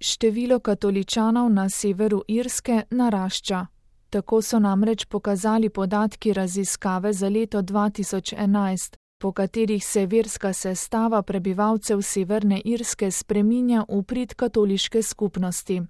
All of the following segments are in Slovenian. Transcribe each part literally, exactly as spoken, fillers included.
Število katoličanov na severu Irske narašča. Tako so namreč pokazali podatki raziskave za leto dva tisoč enajst, po katerih se verska sestava prebivalcev Severne Irske spreminja v prid katoliške skupnosti.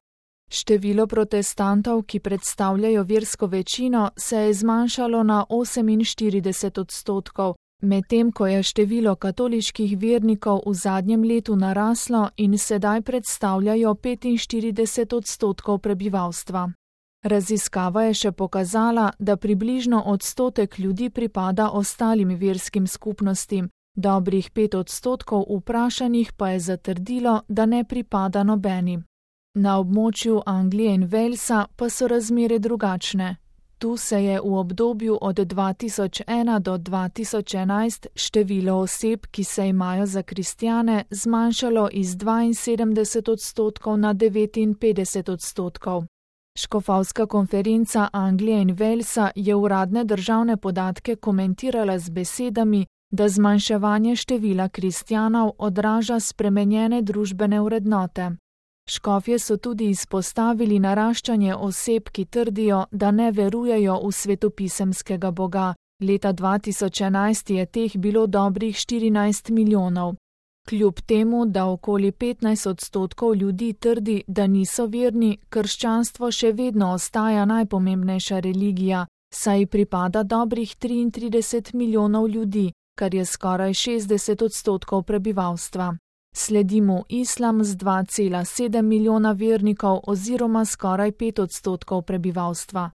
Število protestantov, ki predstavljajo versko večino, se je zmanjšalo na oseminštirideset odstotkov, medtem ko je število katoliških vernikov v zadnjem letu naraslo in sedaj predstavljajo petinštirideset odstotkov prebivalstva. Raziskava je še pokazala, da približno odstotek ljudi pripada ostalim verskim skupnostim, dobrih pet odstotkov vprašanih pa je zatrdilo, da ne pripada nobeni. Na območju Anglije in Walesa pa so razmere drugačne. Tu se je v obdobju od dva tisoč ena do dva tisoč enajst število oseb, ki se imajo za kristjane, zmanjšalo iz dvainsedemdeset odstotkov na devetinpetdeset odstotkov. Škofovska konferenca Anglije in Walesa je uradne državne podatke komentirala z besedami, da zmanjševanje števila kristjanov odraža spremenjene družbene vrednote. Škofje so tudi izpostavili naraščanje oseb, ki trdijo, da ne verujejo v svetopisemskega Boga. Leta dva tisoč enajst je teh bilo dobrih štirinajst milijonov. Kljub temu, da okoli petnajst odstotkov ljudi trdi, da niso verni, krščanstvo še vedno ostaja najpomembnejša religija, saj pripada dobrih triintrideset milijonov ljudi, kar je skoraj šestdeset odstotkov prebivalstva. Sledi mu islam z dva cela sedem milijona vernikov oziroma skoraj pet odstotkov prebivalstva.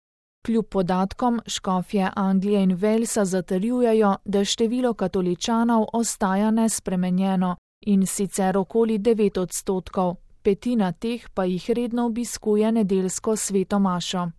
Kljub podatkom škofje Anglije in Walesa zatrjujejo, da število katoličanov ostaja nespremenjeno, in sicer okoli devet odstotkov, petina teh pa jih redno obiskuje nedeljsko sveto mašo.